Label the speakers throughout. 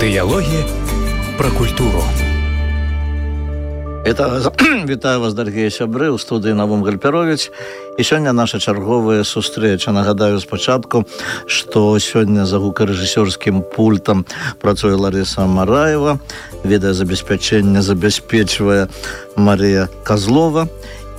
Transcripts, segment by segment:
Speaker 1: Дыялогі пра культуру.
Speaker 2: Вітаю вас, дарагія сябры, у студыі Навум Гальперовіч. І сёння наша чарговая сустрэча. Нагадаю спачатку, што сёння за гукарэжысёрскім пультам працуе Ларыса Мараева, відэазабеспячэнне забяспечвае Марія Казлова.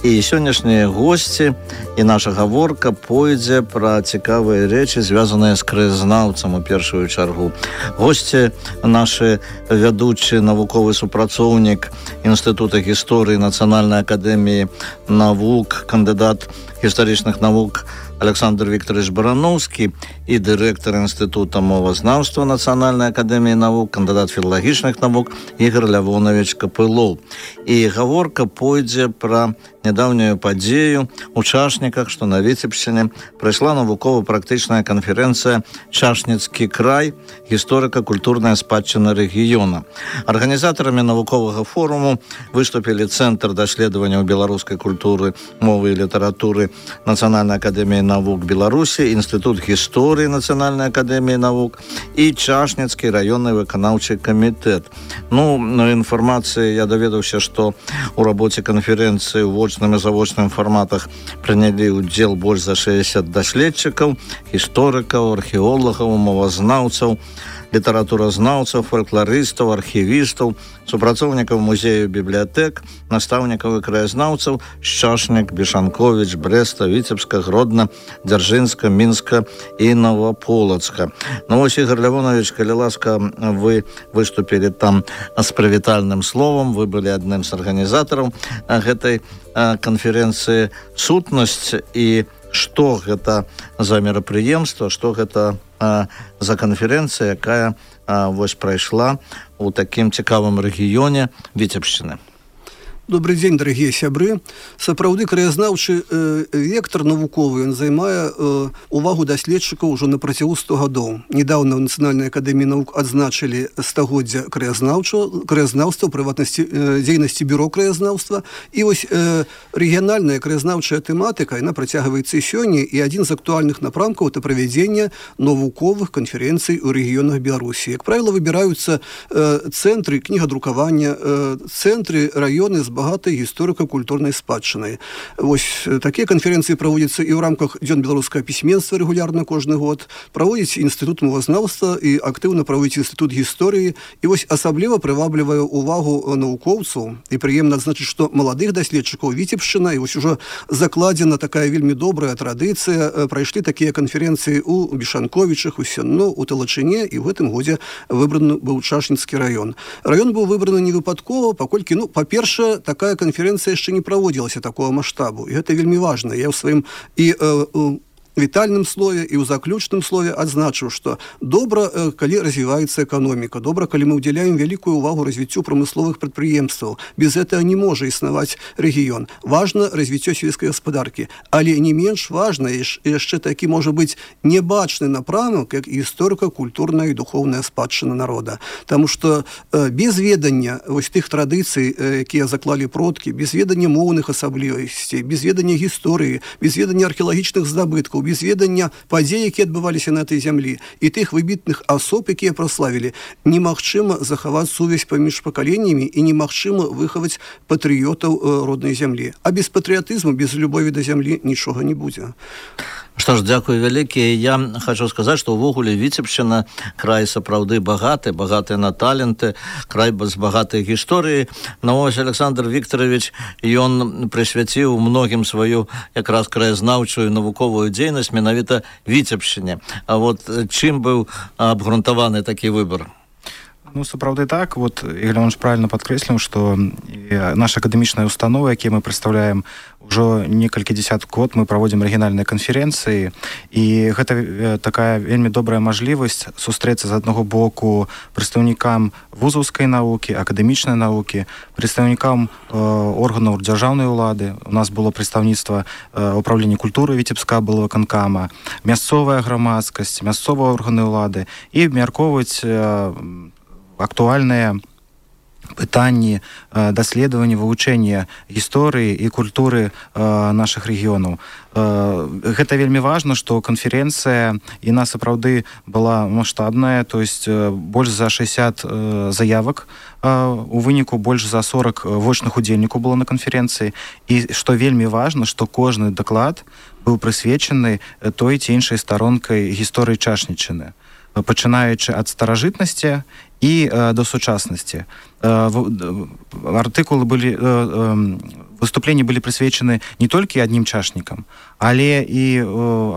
Speaker 2: І сённяшнія госці і наша гаворка пойдзе пра цікавыя рэчы, звязаныя з краязнаўцам у першую чаргу. Госці нашы вядучы навуковы супрацоўнік Інстытута гісторыі Нацыянальнай акадэміі навук, кандыдат гістарычных навук Александр Викторович Барановскі і дырэктар Інстытута мовазнаўства Нацыянальнай акадэміі навук, кандыдат філалагічных навук Ігор Лявонович Капылоў. І гаворка пойдзе пра нядаўнюю падзею у Чашніках, што на Віцебшчыне прайшла навукова-практычная канферэнцыя «Чашніцкі край. Гісторыка-культурная спадчына рэгіёна». Арганізатарамі навуковага форуму выступілі Цэнтр даследаванняў беларускай культуры, мовы і літаратуры Нацыянальнай акадэміі навук Беларусі, Інстытут гісторыі Нацыянальнай акадэміі навук і Чашніцкі раённы выканаўчы камітэт. Інфармацыі я даведаўся, што у рабоце канферэнцыі ў вочным і завочным фарматах прынялі ўдзел больш за 60 даследчыкаў, гісторыкаў, археолагаў, мовазнаўцаў, літаратуразнаўцаў, фалькларыстаў, архівістаў, супрацоўнікаў музею бібліятэк, настаўнікаў і краязнаўцаў з Чашнік, Бешанковіч, Брэста, Віцебска, Гродна, Дзяржынска, Мінска і Новаполацка. Ігор Лявонович, калі ласка, вы выступілі там з прывітальным словам, вы былі адным з арганізатараў гэтай канферэнцыі. Сутнасць і што гэта за мерапрыемства, што гэта за канферэнцыя, якая прайшла у такім цікавым рэгіёне Віцебшчыны.
Speaker 3: Добрый дзень, дарагія сябры. Сапраўды краязнаўчы вектор навуковы, ён займае увагу даследчыкаў ужо на працягу 100 гадоў. Недаўна ў Нацыянальнай акадэміі навук адзначылі стагоддзя краязнаўства, прыватнасці дзейнасці бюро краязнаўства. І вось рэгіянальная краязнаўчая тэматыка, яна працягваецца і сёння, і адзін з актуальных напрамкаў это правядзенне навуковых канферэнцый у рэгіёнах Беларусі. Як правіла, выбіраюцца цэнтры кнігадрукавання, цэнтры раёны з багатай гісторыка-культурнай спадчынай. Вось такія канферэнцыі праводзяцца і ў рамках дзён беларускага пісьменства рэгулярна кожны год, праводзіць Інстытут мовазнаўства і актыўна праводзіць Інстытут гісторыі. І вось асабліва прываблівае увагу навукоўцаў і прыемна адзначыць, што маладых даследчыкаў Віцебшчына, і вось ужо закладзена такая вельмі добрая традыцыя. Прайшлі такія канферэнцыі ў Бешанковічах, у Сенно, у Талачыне, і ў гэтым годзе выбраны быў Чашніцкі раён. Раён быў выбраны не выпадкова, паколькі, па-першае, такая канферэнцыя яшчэ не праводзілася такого маштабу. І гэта вельмі важна. Я ў сваім вітальным слове і ў заключным слове адзначыў, што добра, калі развіваецца эканоміка, добра, калі мы ўдзяляем вялікую ўвагу развіццю прамысловых прадпрыемстваў. Без гэтага не можа існаваць рэгіён. Важна развіццё сельскай гаспадаркі, але не менш важна яшчэ такі можа быць небачны напрамак, як гісторыка-культурная і духоўная спадчына народа. Таму што без ведання вось тых традыцый, якія заклалі продкі, без ведання моўных асаблівасцей, без ведання гісторыі, без ведання археалагічных здабыткаў, без ведання падзей, якія адбываліся на этой зямлі, і тых выбітных асоб, якія праславілі, немагчыма захаваць сувязь паміж пакаленнямі і немагчыма выхаваць патрыётаў роднай зямлі. А без патрыятызму, без любові да зямлі нічога не будзе.
Speaker 2: Што ж, дзякую вялікі. Я хочу сказаць, што ўвогуле Віцебшчына край сапраўды багаты на таленты, край з багатай гісторыі. Ось Александр Викторович, ён прысвяціў многім сваю якраз краязнаўчую навуковую дзейнасць менавіта Віцебшчыне. А чым быў абгрунтаваны такі выбар?
Speaker 4: Сапраўды так. Ігор Лявонович правильно падкрэсліў, што наша акадэмічная установа, якія мы прадстаўляем ўжо некалькі дзесяткаў год, мы праводзім рэгіянальныя канферэнцыі, і гэта такая вельмі добрая мажлівасць сустрэцца з аднаго боку прадстаўнікам вузаўскай навукі, акадэмічнай навукі, прадстаўнікам органаў дзяржаўнай улады. У нас было прадстаўніцтва управлення культуры Віцебскага былога выканкама, мясцовая грамадскасць, мясцовыя органы ўлады, і абмяркоўваць актуальныя пытанні даследавання, вывучэння гісторыі і культуры нашых рэгіёнаў. Гэта вельмі важна, што канферэнцыя яна сапраўды была маштабная, то есть больш за 60 заявак, у выніку больш за 40 вочных удзельнікаў было на канферэнцыі, і што вельмі важна, што кожны даклад быў прысвечаны той ці іншай старонкай гісторыі Чашнічыны, пачынаючы ад старажытнасці і до сучаснасці. Артыкулы былі, выступленні былі прысвечаны не толькі аднім чашнікам, але і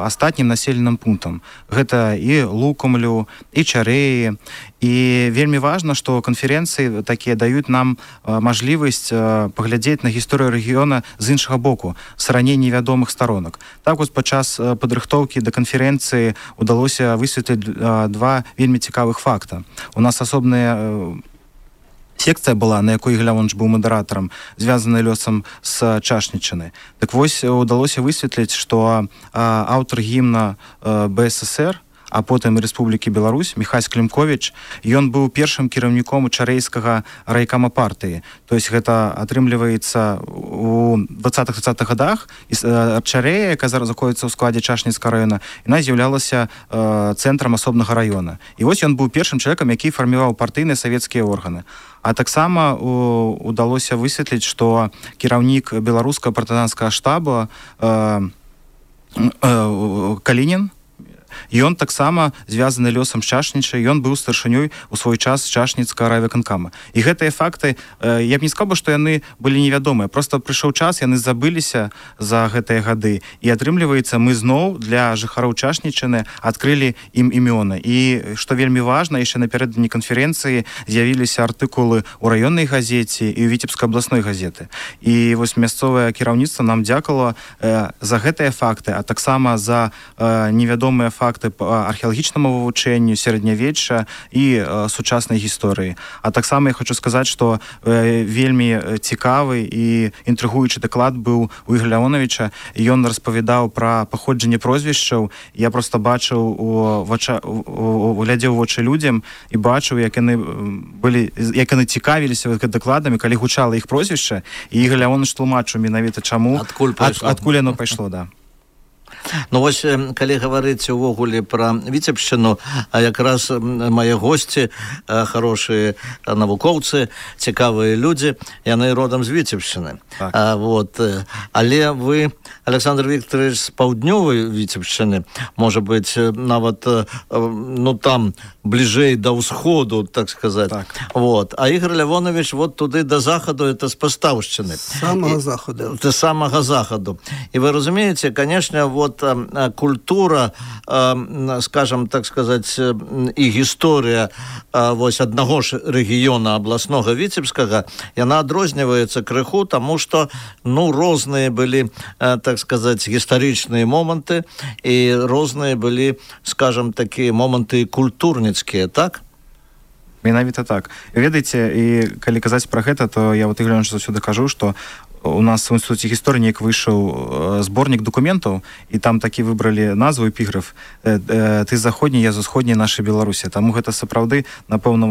Speaker 4: астатнім населеным пунктам. Гэта і Лукамлю, і Чарэі. І вельмі важна, што канферэнцыі такія даюць нам мажлівасць паглядзець на гісторыю рэгіёна з іншага боку, з раней невядомых сторонок. Так вось падчас падрыхтоўкі да канферэнцыі удалося высветліць два вельмі цікавых факта. У нас асобная секцыя была, на якой Ігор Леонтович быў мадэратарам, звязаная лёсам з Чашнічыны. Так вось удалося высветліць, што аўтар гімна БССР, а потым Рэспублікі Беларусь, Міхась Клімковіч, ён быў першым кіраўніком чарэйскага райкама партыі. То есть гэта атрымліваецца у 20-30-х годах, і Чарэя, яка зараз знаходзіцца ў складзе Чашніцкага раёна, яна з'яўлялася цэнтрам асобнага раёна. І вось ён быў першым чалавекам, які фарміраваў партыйныя савецкія органы. А таксама удалося высветліць, што кіраўнік беларускага партызанскага штаба Калінін, ён таксама звязаны лёсам з Чашнічай, ён быў старшынёй у свой час Чашніцкага райвыканкама. І гэтыя факты, я б не сказаў, што яны былі невядомыя, просто прыйшоў час, яны забыліся за гэтыя гады, і атрымліваецца, мы зноў для жыхароў Чашнічыны адкрылі ім імёны. І што вельмі важна, яшчэ напярэдадні канферэнцыі з'явіліся артыкулы ў раённай газеце і ў Віцебскай абласной газеты. І вось мясцовае кіраўніцтва нам дзякавала за гэтыя факты, а таксама за невядомыя факты по археалагічнаму вывучэнню сярэднявечча і сучаснай гісторыі. А таксама я хочу сказаць, што вельмі цікавы і інтрыгуючы даклад быў у Ігоря Леонтовича. Ён распавядаў пра паходжанне прозвішчаў. Я просто бачыў глядзеў у вочы людзям і бачыў, як яны цікавіліся дакладамі, калі гучала іх прозвішча, і Ігор Леонтович тлумачыў менавіта чаму, адкуль яно пайшло, да.
Speaker 2: Ну вось, калі гаварыць увогуле пра Віцебшчыну, якраз мае госці, хорошыя навукоўцы, цікавыя людзі, яны родам з Віцебшчыны. Так. Але вы, Александр Викторович, з паўднёвай Віцебшчыны, можа быць, нават там бліжэй да ўсходу, так сказаць. Так. А Ігор Леонтович туды да захаду, это з Пастаўшчыны.
Speaker 3: Самага захаду.
Speaker 2: З самага захаду. І вы разумееце, конечно, культура, скажем, так сказать, і гісторыя аднаго ж рэгіёна абласнога Віцебскага, яна адрозніваецца крыху, таму што розныя былі, так сказать, гістарычныя моманты, і розныя былі, скажем, такія моманты культурніцкія, так?
Speaker 4: Менавіта так. Ведаеце, і калі казаць пра гэта, то я Ігор Леонтович заўсёды кажу, што у нас в Інстытуце гісторыі неяк выйшаў зборнік дакументаў, і там такі выбралі назву, эпіграф «Ты з заходняй, я з усходняй нашай Беларусі». Таму гэта сапраўды, напэўна,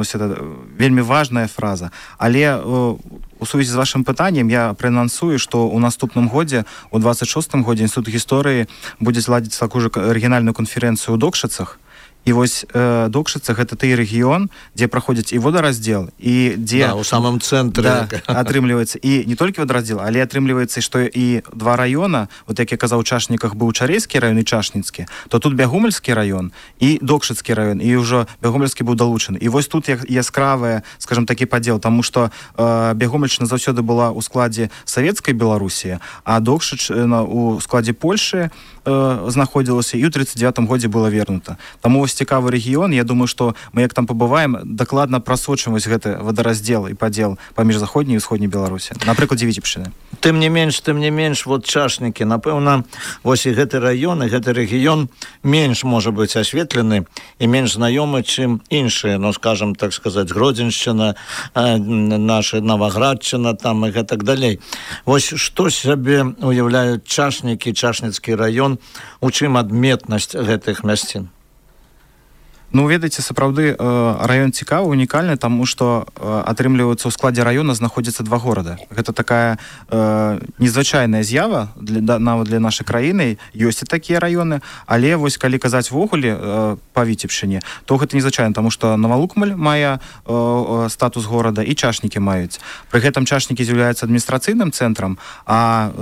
Speaker 4: вельмі важная фраза. Але у сувязі з вашым пытаннем я праанансую, што ў наступным годзе, у 26-м годзе Інстытут гісторыі будзе зладзіць такую ж рэгіянальную канферэнцыю ў Докшыцах. І вось Докшыцы — гэта той рэгіён, дзе праходзіць і водараздзел, і дзе...
Speaker 2: Да, у самым цэнтры.
Speaker 4: Атрымліваецца і не толькі водараздзел, але атрымліваецца, што і два раёна, як я казаў, у Чашніках быў Чарэйскі раён і Чашніцкі, то тут Бягомельскі раён і Докшыцкі раён, і ўжо Бягомельскі быў далучаны. І вось тут яскравая, скажем, такі падзел, таму што Бягомельшчына заўсёды была ў складзе савецкай Беларусі, а Докшычына ў складзе Польшы знаходзілася і ў 39-м годзе была вернута. Таму вось цікавы рэгіён, я думаю, што мы як там пабываем, дакладна прасочым вось гэты водараздзел і падзел паміж заходняй і ўсходняй Беларусі. Напрыклад, Віцебшчыны.
Speaker 2: Тым не менш, Чашнікі, напэўна, вось і гэты раён, і гэты рэгіён менш можа быць асветлены і менш знаёмы, чым іншыя, скажем, так сказаць, Гродзеншчына, наша Наваградчына, там і гэтак далей. Вось што сябе уяўляюць Чашнікі, Чашніцкі раён, у чым адметнасць гэтых мясцін?
Speaker 4: Ну, ведаеце, сапраўды раён цікавы, унікальны, таму што атрымліваецца ў складзе раёна знаходзіцца два горада. Гэта такая незвычайная з'ява нават для нашай краіны. Ёсць і такія раёны, але вось калі казаць ввогуле па Віцебшчыне, то гэта незвычайна, таму што Новолукмаль мае статус горада і Чашнікі маюць. Пры гэтым Чашнікі з'яўляецца адміністрацыйным цэнтрам, а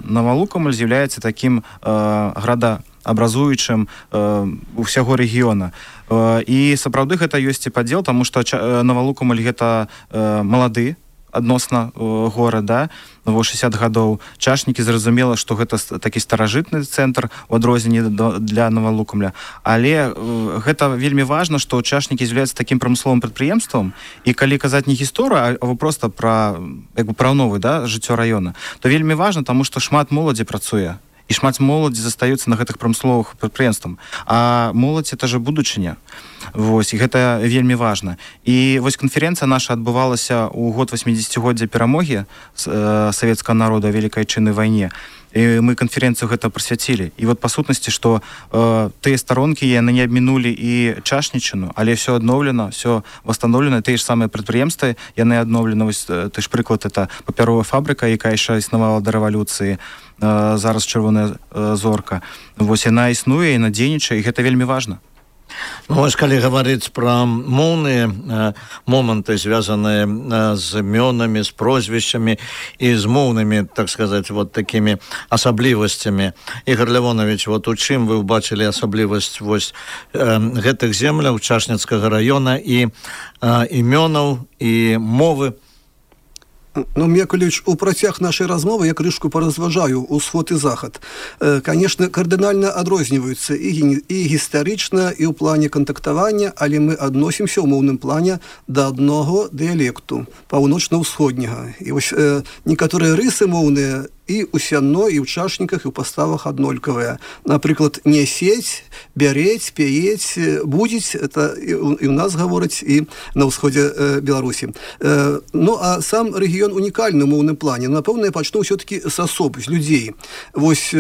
Speaker 4: Новолукмаль з'яўляецца такім градаабразуючым усяго рэгіёна. І сапраўды гэта ёсць і падзел, таму што Новолукмаль гэта малады адносна горада, 60 гадоў. Чашнікі, зразумела, што гэта такі старажытны цэнтр у адрозненні для Новолукмля. Але гэта вельмі важна, што Чашнікі з'яўляецца такім прамысловым прадпрыемствам, і калі казаць не гісторыю, а проста пра новае жыццё раёна, то вельмі важна, таму што шмат моладзі працуе. І шмат моладзі застаюцца на гэтых прамысловых прадпрыемствах. А моладзь — это же будучыня. Вось, і гэта вельмі важна. І вось канферэнцыя наша адбывалася ў год 80-годдзя перамогі савецкага народа ў Вялікай Айчыннай вайне. І мы канферэнцыю гэта прысвяцілі. І вот па сутнасці, што тыя старонкі яны не абмінулі і Чашнічыну, але все адноўлена, все восстановлена, тыя ж самыя прадпрыемствы яны адноўлены. Вось ты ж прыклад, это папяровая фабрыка, якая яшчэ існавала да рэвалюцыі, зараз Чырвоная зорка. Вось яна існуе, яна дзейнічае, і гэта вельмі важна.
Speaker 2: Ну, вось калі гаварыць пра моўныя моманты, звязаныя з імёнамі, з прозвішчамі і з моўнымі, так сказаць, вот такімі асаблівасцямі. Ігор Лявонович, вот у чым вы ўбачылі асаблівасць вось гэтых земляў Чашніцкага раёна і імёнаў і мовы?
Speaker 3: Ну, Мекалевич, у працяг нашай размовы я крышку паразважаю ўсход і захад. Конечно, кардынальна адрозніваюцца і гістарычна, і ў плане кантактавання, але мы адносімся ў моўным плане да аднаго дыялекту, паўночна-ўсходняга. І вось некаторыя рысы моўныя і ў сянно, і ў чашніках, і ў паставах аднолькавыя. Напрыклад, несець, бярець, пяець, будзець, это і ў нас гавораць, і на ўсходзе Беларусі. Ну, а сам рэгіён унікальны ў моўным плане. Напэўна, я пачну ўсё-такі з асоб, з людзей. Вось,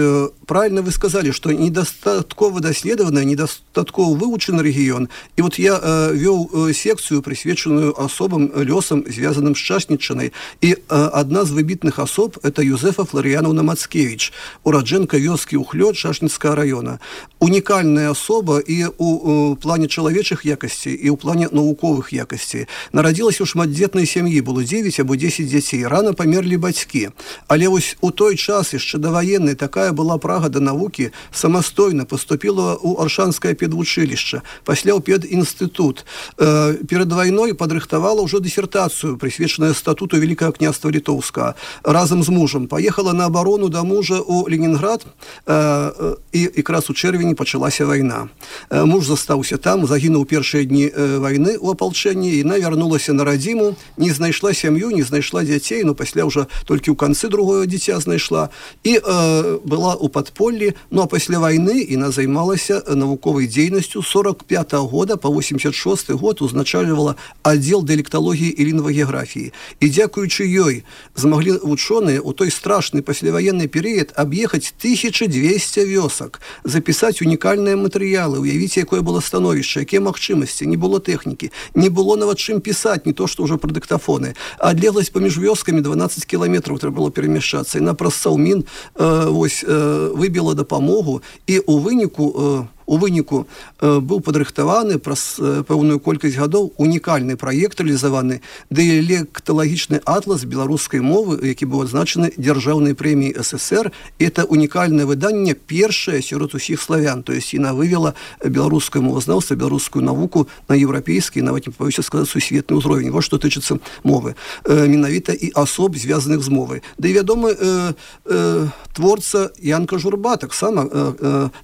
Speaker 3: правильно вы сказалі, што недастаткова даследаваны, недастаткова вывучаны рэгіён. І вот я вёў секцыю, прысвечаную асобам, лёсам, звязаным з Чашнічынай. І адна з выбітных асоб — это Юзефа Фларыянаўна Мацкевіч, ураджэнка вёскі Ухлёд Чашніцкага раёна. Унікальная асоба і ў плане чалавечых якасцей, і ў плане навуковых якасцей. Нарадзілася ў шматдзетнай сям'і, было 9 або 10 дзяцей. Рана памерлі бацькі. Але вось у той час, яшчэ даваенны, такая была прага да навукі, самастойна паступіла ў Аршанскае педвучылішча, пасля ў педінстытут. Перад вайной падрыхтавала ўжо дысертацыю, прысвечаную статуту Великага княства Літоўскага. Разам з мужам паехала на абарону да мужа ў Ленінград, і якраз у чэрвені пачалася вайна. Муж застаўся там, загінуў першыя дні вайны ў апалчэнні, і яна вярнулася на радзіму, не знайшла сям'ю, не знайшла дзяцей, но пасля ўжо толькі ў канцы другое дзіця знайшла, і была ў падполлі. Ну, а пасля вайны яна займалася навуковай дзейнасцю. 45-го года па 86-й год узначальвала аддзел дыялекталогіі і лінгвагеаграфіі. І дзякуючы ёй змаглі вучоныя ў той страшны пасляваенны перыяд аб'ехаць 1200 вёсак, запісаць унікальныя матэрыялы, уявіць, якое было становішча, якія магчымасці, не было тэхнікі, не было нават чым пісаць, не то што ўжо пра дыктафоны. Адлегласць паміж вёскамі 12 кіламетраў трэба было перамяшчацца, і на праз Саўмін выбіла дапамогу, і у выніку быў падрыхтаваны праз пэўную колькасць гадоў унікальны праект рэалізаваны, дыялекталагічны атлас беларускай мовы, які быў адзначаны дзяржаўнай прэміяй СССР. Это унікальнае выданне, першае сярод усіх славян, то есть яна вывела беларускае мовазнаўства, беларускую навуку на еўрапейскі, нават не пабаюся сказаць, сусветны ўзровень. Вот што тычыцца мовы, менавіта і асоб, звязаных з мовай. Да і вядомы творца Янка Журба таксама.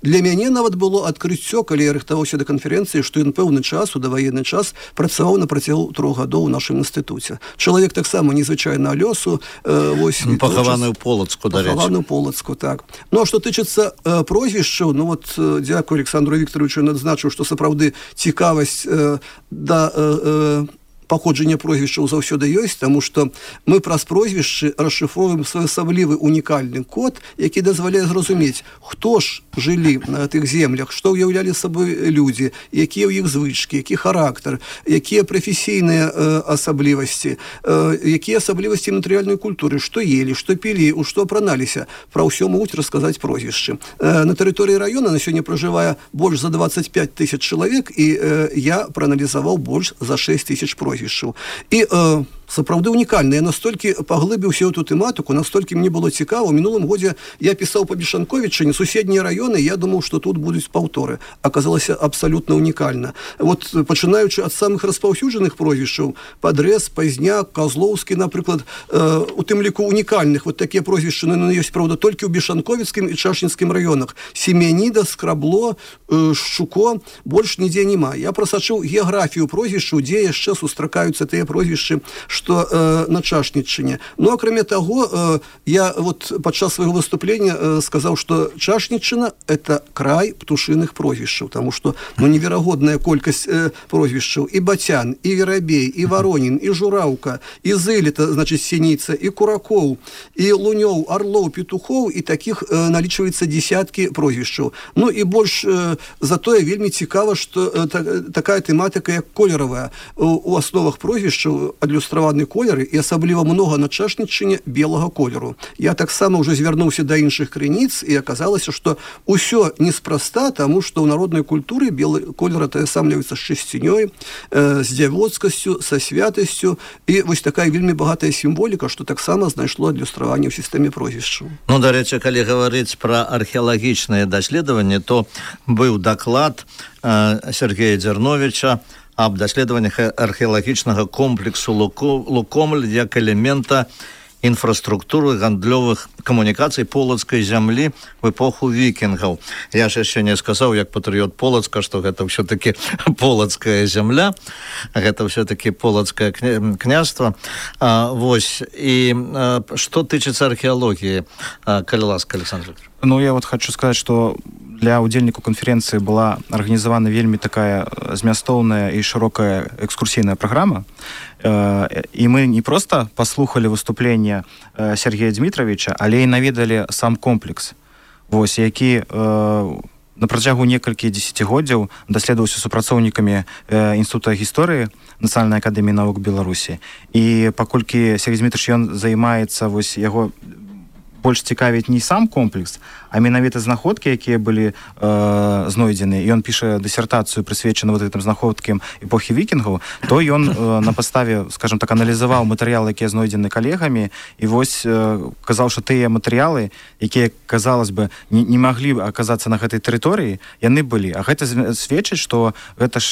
Speaker 3: Для мяне нават было адкрыццё, калі я рыхтаваўся да канферэнцыі, што ён пэўны час, у даваенны час, працаваў на працягу 3 гадоў у нашым інстытуце. Чалавек таксама незвычайнага лёсу.
Speaker 2: Пахаваны ў Полацку, дарэчы.
Speaker 3: Пахаваны ў Полацку, так. Ну, а што тычыцца прозвішчаў, ну вот, дзякую Александру Вікторовичу, ён адзначыў, што сапраўды цікавасць да паходжання прозвішчаў заўсёды ёсць, таму што мы праз прозвішчы расшыфроўваем своеасаблівы унікальны код, які дазваляе зразумець, хто ж жылі на тых землях, што ўяўлялі сабой людзі, якія ў іх звычкі, які характар, якія прафесійныя асаблівасці, якія асаблівасці матэрыяльнай культуры, што елі, што пілі, у што апраналіся. Пра ўсё могуць расказаць прозвішчы. На тэрыторыі раёна на сёння пражывае больш за 25 тысяч чалавек, і я прааналізаваў больш за 6 тысяч прозвішчаў. І сапраўды унікальна. Я настолькі паглыбіўся ў эту тэматыку, настолькі мне было цікава. У мінулым годзе я пісаў па Бешанковіччыне, суседнія раёны, я думаў, што тут будуць паўторы. Аказалася абсалютна унікальна. Вот пачынаючы ад самых распаўсюджаных прозвішчаў, Падрэз, Пазняк, Казлоўскі, напрыклад, у тым ліку унікальных, вот такія прозвішчы, ёсць, правда, толькі ў Бешанковіцкім і Чашнінскім раёнах. Семяніда, Скрабло, Шчуко, больш нідзе няма. Я прасачыў геаграфію прозвішчаў, дзе яшчэ сустракаюцца тыя прозвішчы, што на Чашніччыне. Ну, акрамя таго, я вот падчас свайго выступлення сказаў, што Чашніччына – это край птушыных прозвішчаў, таму што неверагодная колькасць прозвішчаў. І Бацян, і Верабей, і Варонін, і Жураўка, і Зэлета, значыць, Сініца, і Куракоў, і Лунёў, Арлоў, Петухоў, і такіх налічваецца десяткі прозвішчаў. Ну, і больш затое вельмі цікава, што такая тэматыка, як колеравая. У асновах прозвішчаў адлюстраваны колеры, і асабліва многа на Чашніччыне белага колеру. Я таксама ўжо звярнуўся да іншых крыніц, і аказалася, што ўсё неспроста, таму што ў народнай культуры белы колер атаясамліваецца з чысцінёй, з дзявоцкасцю, са святасцю, і вось такая вельмі багатая сімволіка, што таксама знайшло адлюстраванне ў сістэме прозвішчаў.
Speaker 2: Ну, дарэчы, калі гаварыць пра археалагічныя даследаванні, то быў даклад Сергея Дзярновіча аб даследаваннях археалагічнага комплексу Лукомль як элемента інфраструктуры гандлёвых камунікацый полацкай зямлі в эпоху вікінгаў. Я ж яшчэ не сказаў, як патрыёт Полацка, што гэта ўсё-такі полацкая зямля, гэта ўсё-такі полацкае княства. Вось. І што тычыцца археалогіі, калі ласка, Александр Викторович?
Speaker 4: Ну, я вот хочу сказать, что для удзельнікаў канферэнцыі была арганізавана вельмі такая змястоўная і шырокая экскурсійная праграма. І мы не проста паслухалі выступленне Сергея Дмітровича, але і наведалі сам комплекс, вось, які на працягу некалькі дзесяцігоддзяў даследаваўся супрацоўнікамі Інстытута гісторыі Нацыянальнай акадэміі навук Беларусі. І паколькі Сергей Дмітрович, ён займаецца, вось, яго больш цікавіць не сам комплекс, а менавіта знаходкі, якія былі знойдзены, і ён піша дысертацыю, прысвечаную вот гэтым знаходкам эпохі вікінгаў, то ён на падставе, скажем так, аналізаваў матэрыялы, якія знойдзены калегамі, і вось казаў, што тыя матэрыялы, якія, казалось бы, не маглі аказацца на гэтай тэрыторыі, яны былі. А гэта сведчыць, што гэта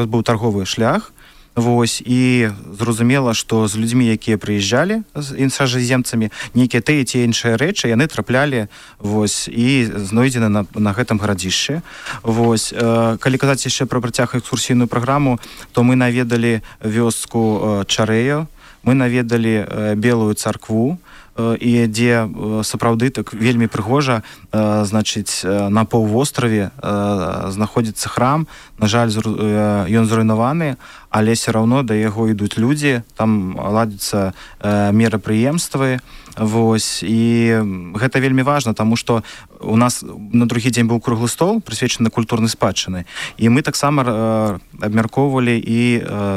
Speaker 4: быў тарговы шлях. Вось, і зразумела, што з людзьмі, якія прыязджалі з іншаземцамі, нейкія тыя ці іншыя рэчы, яны траплялі, вось, і знойдзены на гэтым гарадзішчы. Вось, калі казаць яшчэ пра працяг экскурсійную праграму, то мы наведалі вёску Чарэю, мы наведалі Белую царкву, і дзе сапраўды так вельмі прыгожа, значыць, на паўвостраве знаходзіцца храм. На жаль, ён зруйнаваны, але все равно да яго ідуць людзі, там ладзяцца мерапрыемствы. Вось, і гэта вельмі важна, таму што у нас на другі дзень быў круглы стол, прысвечаны культурнай спадчыны, і мы таксама абмяркоўвалі і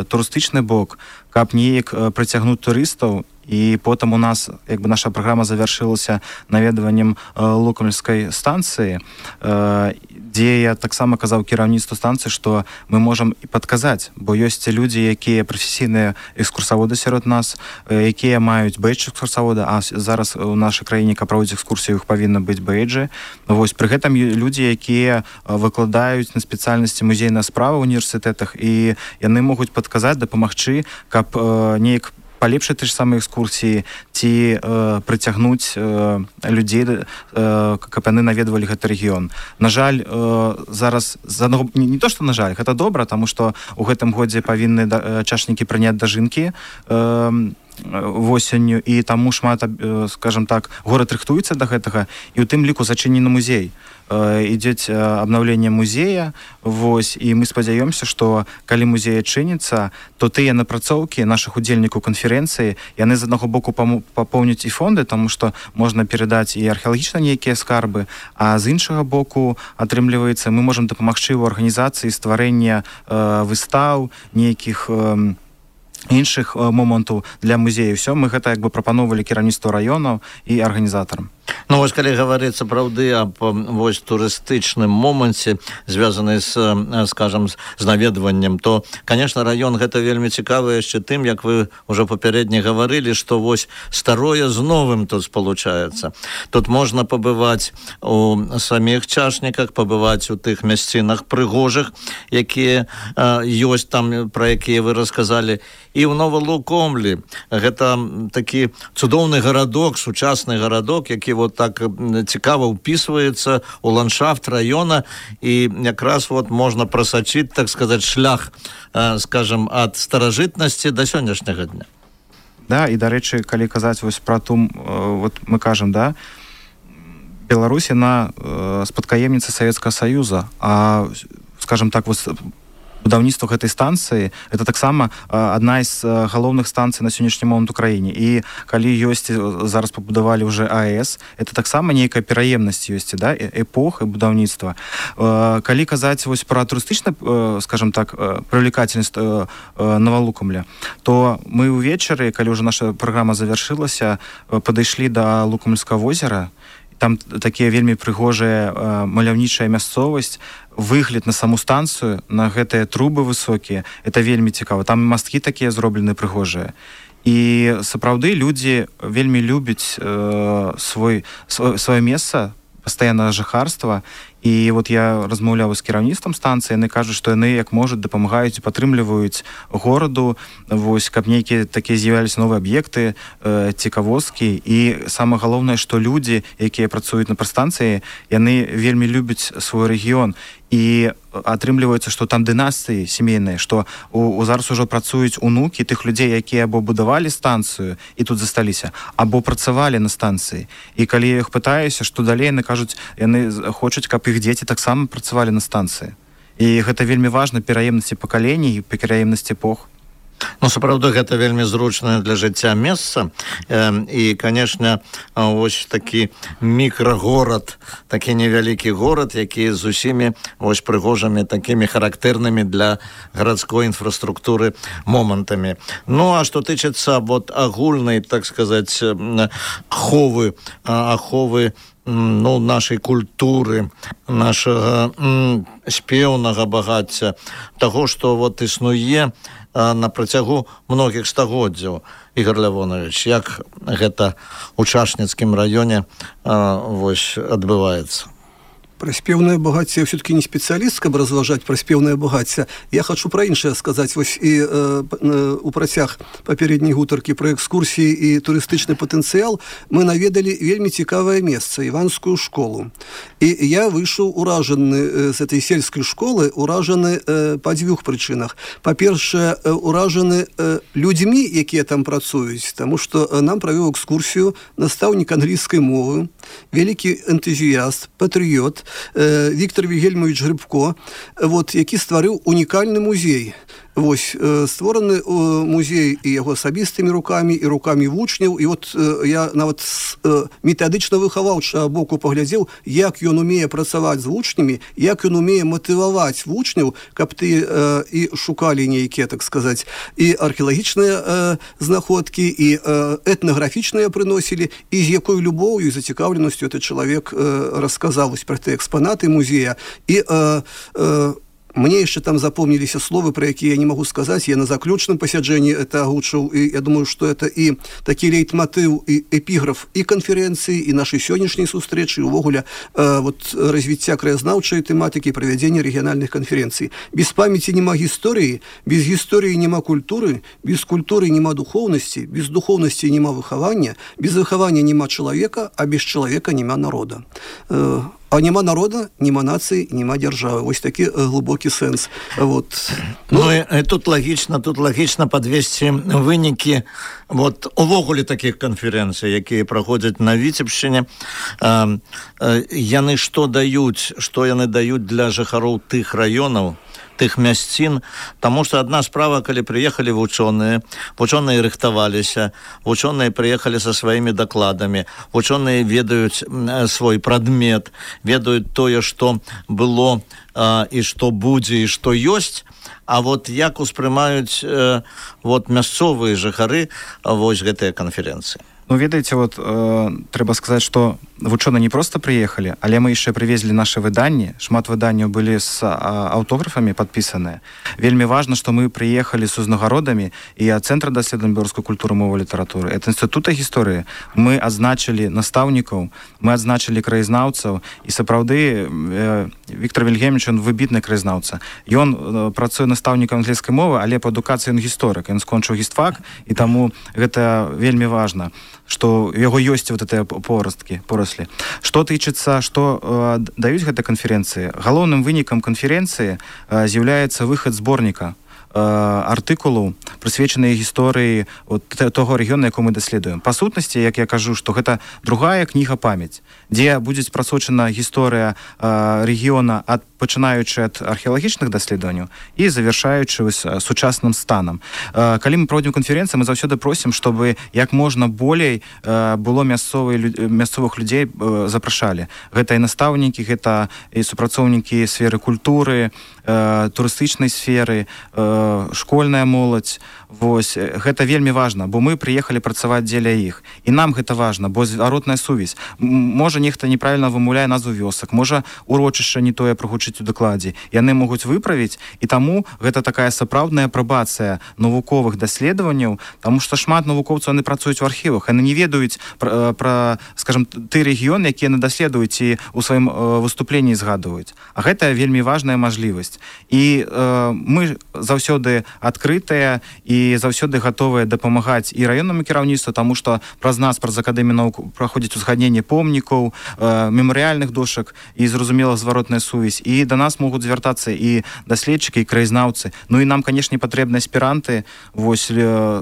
Speaker 4: турыстычны бок, каб неяк прыцягнуць турыстаў. І потым у нас, як бы, наша праграма завяршылася наведваннем Лукомльскай станцыі, дзе я таксама казаў кіраўніцтву станцыі, што мы можам і падказаць, бо ёсць людзі, якія прафесійныя экскурсаводы сярод нас, якія маюць бэйдж экскурсавода, а зараз у нашай краіне, каб праводзіць экскурсію, іх павінна быць бэйджы. Вось, пры гэтым людзі, якія выкладаюць на спецыяльнасці музейная справа ў універсітэтах, і яны могуць падказаць, дапамагчы, каб неяк палепшыць ты ж самыя экскурсіі ці прыцягнуць людзей, каб яны наведвалі гэты рэгіён. На жаль, зараз не то, што на жаль, гэта добра, таму што ў гэтым годзе павінны чашнікі прыняць дажынкі восенню, і таму шмат, скажем так, горад рыхтуецца да гэтага, і ў тым ліку зачынены музей. Ідзе абнаўленне музея, вось, і мы спадзяёмся, што калі музей адчыніцца, то тыя напрацоўкі нашых удзельнікаў канферэнцыі, яны з аднаго боку папоўняць і фонды, таму што можна перадаць і археалагічна нейкія скарбы, а з іншага боку, атрымліваецца, мы можам дапамагчы ў арганізацыі стварэння выстаў, нейкіх іншых момантаў для музею. Все, мы гэта як бы прапановвалі кіраўніцтву раёнаў і арганізатарам.
Speaker 2: Ну, вось, калі гаварыць сапраўды аб вось турыстычным моманце, звязаны з, скажам, з наведваннем, то, конечно, раён гэта вельмі цікавы яшчэ тым, як вы ўжо папярэдне гаварылі, што вось старое з новым тут спалучаецца. Тут можна пабываць у саміх чашніках, пабываць у тых мясцінах прыгожых, якія ёсць там, пра якія вы расказалі, і ў Новалукомлі. Гэта такі цудоўны гарадок, сучасны гарадок, які вот так цікава ўпісваецца ў ландшафт раёна, і якраз вот можна прасачыць, так сказаць, шлях, скажем, ад старажытнасці да сённяшняга дня.
Speaker 4: Да, і, дарэчы, калі казаць вось пра ту, вот мы кажам, да, Беларусь, яна спадкаемніца Савецкага Саюза, а, скажем так, вось будаўніцтва гэтай станцыі это таксама адна з галоўных станцый на сённяшні момант у краіне. І калі ёсць, зараз пабудавалі ўжо АЭС, это таксама нейкая пераемнасць ёсць, да, эпох і будаўніцтва. Калі казаць вось пра турыстычна, скажем так, прывлекательнасць Новалукамля, то мы ўвечары, калі ўжо наша праграма завяршылася, падышлі да Лукамльскага возера. Там такія вельмі прыгожая маляўнічая мясцовасць, выгляд на саму станцыю, на гэтыя трубы высокія, это вельмі цікава. Там масткі такія зроблены прыгожыя. І сапраўды людзі вельмі любяць сваё месца, пастаяннага жыхарства. І вот я размаўляў з кіраўніцтвам станцыі, яны кажуць, што яны як можуць дапамагаюць і падтрымліваюць гораду, вось, каб нейкія такія з'являліся новыя аб'екты, цікавосткі. І самае галоўнае, што людзі, якія працуюць на прастанцыі, яны вельмі любяць свой рэгіён. І атрымліваецца, што там дынастыі сямейныя, што зараз ужо працуюць унукі тых людзей, якія або будавалі станцыю і тут засталіся, або працавалі на станцыі. І калі я іх пытаюся, што далей, яны кажуць, яны хочуць, каб іх дзеці таксама працавалі на станцыі. І гэта вельмі важна, пераемнасці пакалений, пераемнасці эпох.
Speaker 2: Ну, сапраўды, гэта вельмі зручнае для жыцця месца. І, канешне, вось такі мікрагорад, такі невялікі горад, які з усімі вось прыгожымі, такімі характэрнымі для гарадской інфраструктуры момантамі. Ну, а што тычыцца вот агульнай, так сказаць, аховы ну, нашай культуры, нашага спеўнага багацця, таго, што вот існуе на працягу многіх стагоддзяў. Ігор Лявонович, як гэта ў Чашніцкім раёне вось адбываецца?
Speaker 3: Про спевное богатство я все-таки не специалист, каб разважать про спевное богатство. Я хочу про іншае сказать. Вось і у працяг папярэдняй гутаркі про экскурсіі і турыстычны патэнцыял мы наведалі вельмі цікавае месца, Іванскую школу. І я выйшаў уражаны з этой сельскай школы, уражаны па дзвюх прычынах. Па-першае, уражаны людзьмі, якія там працуюць, таму што нам правёў экскурсію настаўнік англійскай мовы, вялікі энтузіяст, патрыёт, Віктор Вільгельмович Грибко, вот, які стварыў унікальны музей. Вось, створаны музей і яго асабістымі рукамі, і рукамі вучняў. І вот я нават метадычна выхаваўчага боку паглядзеў, як ён умее працаваць з вучнямі, як ён умее матываваць вучняў, каб ты і шукалі нейкія, так сказаць, і археалагічныя знаходкі, і этнаграфічныя прыносілі, і з якой любоўю і зацікаўленасцю этот чалавек расказаў пра тыя экспанаты музея. І мне еще там запомнились словы, про якія я не могу сказать. Я на заключным пасяджэнні это агучыў, и я думаю, что это и такі лейтмотив, и эпиграф и конференции, и нашей сённяшняй сустрэчы, и увогуле вот развіцця краязнаўчай тэматыкі, правядзення рэгіянальных конференций. Без памяти нема гісторыі, без гісторыі нема культуры, без культуры нема духовности, без духовности нема выхавання, без выхавання нема чалавека, а без чалавека нема народа. А няма народа, няма нацыі, няма дзяржавы. Вось такі глубокі сэнс. Вот.
Speaker 2: І тут лагічна падвесці вынікі увогуле такіх канферэнцый, якія праходзяць на Віцебшчыне. Яны што яны даюць для жыхароў тых раёнаў, тых мясцін, таму што адна справа, калі прыехалі вучоныя рыхтаваліся, вучоныя прыехалі са сваімі дакладамі, вучоныя ведаюць свой прадмет, ведаюць тое, што было і што будзе, і што ёсць, а як успрымаюць мясцовыя жыхары гэтыя канферэнцыі.
Speaker 4: Ведаеце, трэба сказаць, што вучоныя не проста прыехалі, але мы яшчэ прывезлі нашы выданні. Шмат выданняў былі з аўтографамі падпісаныя. Вельмі важна, што мы прыехалі з узнагародамі і ад Цэнтра даследавання беларускай культуры, мовы, літаратуры, ад Інстытута гісторыі. Мы адзначылі настаўнікаў, мы адзначылі краязнаўцаў, і сапраўды Віктор Вільгельмович, ён выбітны краязнаўца. Ён працуе настаўнікам англійскай мовы, але па адукацыі ён гісторык. Ён скончыў гістфак, і таму гэта вельмі важна, што у яго ёсць гэтыя пораслі. Што тычыцца, што даюць гэтыя канферэнцыі? Галоўным вынікам канферэнцыі з'яўляецца выхад зборніка артыкулаў, прысвечаныя гісторыі того рэгіёна, якую мы даследуем. Па сутнасці, як я кажу, што гэта другая кніга «Памяць», дзе будзе прасочана гісторыя рэгіёна пачынаючы ад археалагічных даследаванняў і завяршаючы сучасным станам. Калі мы праводзім канферэнцыі, мы заўсёды просім, чтобы як можна болей было мясцовых людзей запрашалі. Гэта і настаўнікі, гэта і супрацоўнікі сферы культуры, турыстычнай сферы, школьная моладзь. Гэта вельмі важна, бо мы прыехалі працаваць дзеля іх. І нам гэта важна, бо зваротная сувязь. Можа, нехта неправільна вымаўляе назву вёсак, можа, урочышча не тое прагучыць у дакладзе. Яны могуць выправіць, і таму гэта такая сапраўдная апрабацыя навуковых даследаванняў, таму што шмат навукоўцаў яны працуюць у архівах, яны не ведаюць пра, скажам, ты рэгіён, які яны даследуюць і ў сваім выступленні згадваюць. А гэта вельмі важная мажлівасць. І мы заўсёды адкрытыя і заўсёды гатовыя дапамагаць і раённаму кіраўніцтву, таму што праз нас, праз Акадэмію навук праходзіць узгадненне помнікаў, мемарыяльных дошак і, зразумела, зваротная сувязь. І да нас могуць звяртацца і даследчыкі, і краязнаўцы. Ну і нам, канешне, патрэбны аспіранты,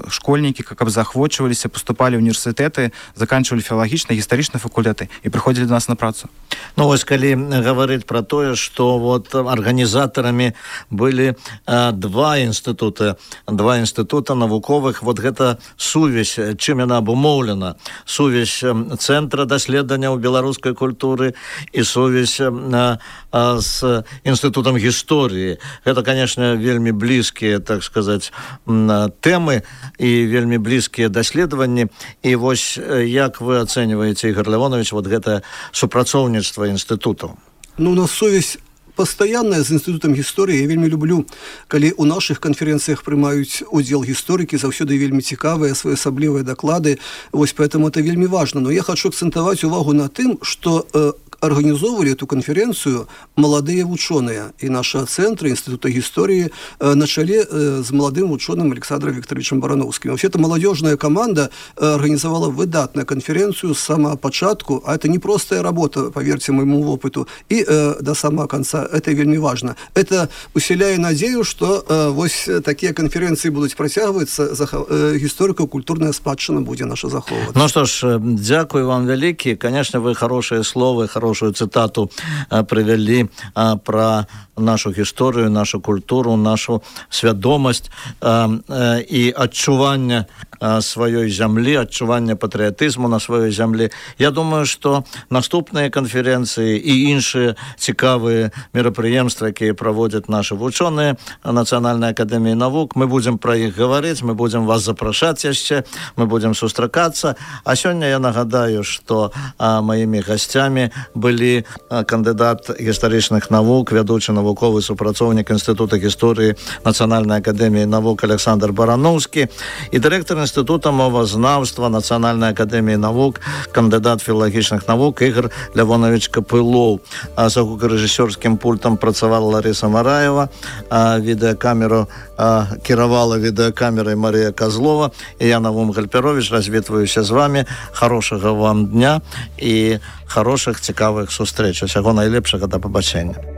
Speaker 4: школьнікі, каб заахвочваліся, паступалі ў універсітэты, заканчвалі філалагічныя, гістарычныя факультэты і прыходзілі да нас на працу.
Speaker 2: Калі гаварыць пра тое, што арганізатарамі былі два інстытута навуковых, гэта сувязь, чым яна абумоўлена, сувязь Цэнтра даследаванняў беларускай культуры і сувязь з Інстытутам гісторыі. Гэта, канешне, вельмі блізкія, так сказаць, тэмы і вельмі блізкія даследаванні. І як вы ацэньваеце, Ігор Лявонович, гэта супрацоўніцтва інстытутаў?
Speaker 3: У нас сувязь пастаянная з Інстытутам гісторыі. Я вельмі люблю, калі ў нашых канферэнцыях прымаюць удзел гісторыкі, заўсёды вельмі цікавыя, своеасаблівыя даклады. Поэтому это вельмі важна. Но я хочу акцентаваць увагу на тым, што организовывали эту конференцию молодые ученые. И нашего центра Института истории на чоле с молодым ученым Александром Викторовичем Барановским. Вообще, эта молодежная команда организовала выдатную конференцию с самого початку, а это не простая работа, поверьте моему опыту, и до самого конца. Это вельми важно. Это усиляет надею, что такие конференции будут протягиваться, историко-культурная спадщина будет наша заховываться.
Speaker 2: Ну что ж, дякую вам великие. Конечно, вы хорошие слова, хорошую цитату привели про нашу гісторыю, нашу культуру, нашу свядомасць і адчуванне сваёй зямлі, адчуванне патрыятызму на сваёй зямлі. Я думаю, што наступныя канферэнцыі і іншыя цікавыя мерапрыемствы, якія праводзяць нашы вучоныя Нацыянальнай акадэміі навук, мы будзем пра іх гаварыць, мы будзем вас запрашаць яшчэ, мы будзем сустракацца. А сёння я нагадаю, што маімі гасцямі былі кандыдат гістарычных навук, вядучы навуковец навуковы супрацоўнік Інстытута гісторыі Нацыянальнай акадэміі навук Александр Барановскі і дырэктар Інстытута мовазнаўства Нацыянальнай акадэміі навук, кандыдат філалагічных навук Ігор Лявонович Капылоў. А за гукарэжысёрскім пультам працавала Ларыса Мараева, відэакамеру кіравала відэакамерай Марія Козлова, і я, Навум Гальперович, развітваюся з вами. Хорошага вам дня і хорошых цікавых сустрэч. Усяго найлепшага, да пабачэння.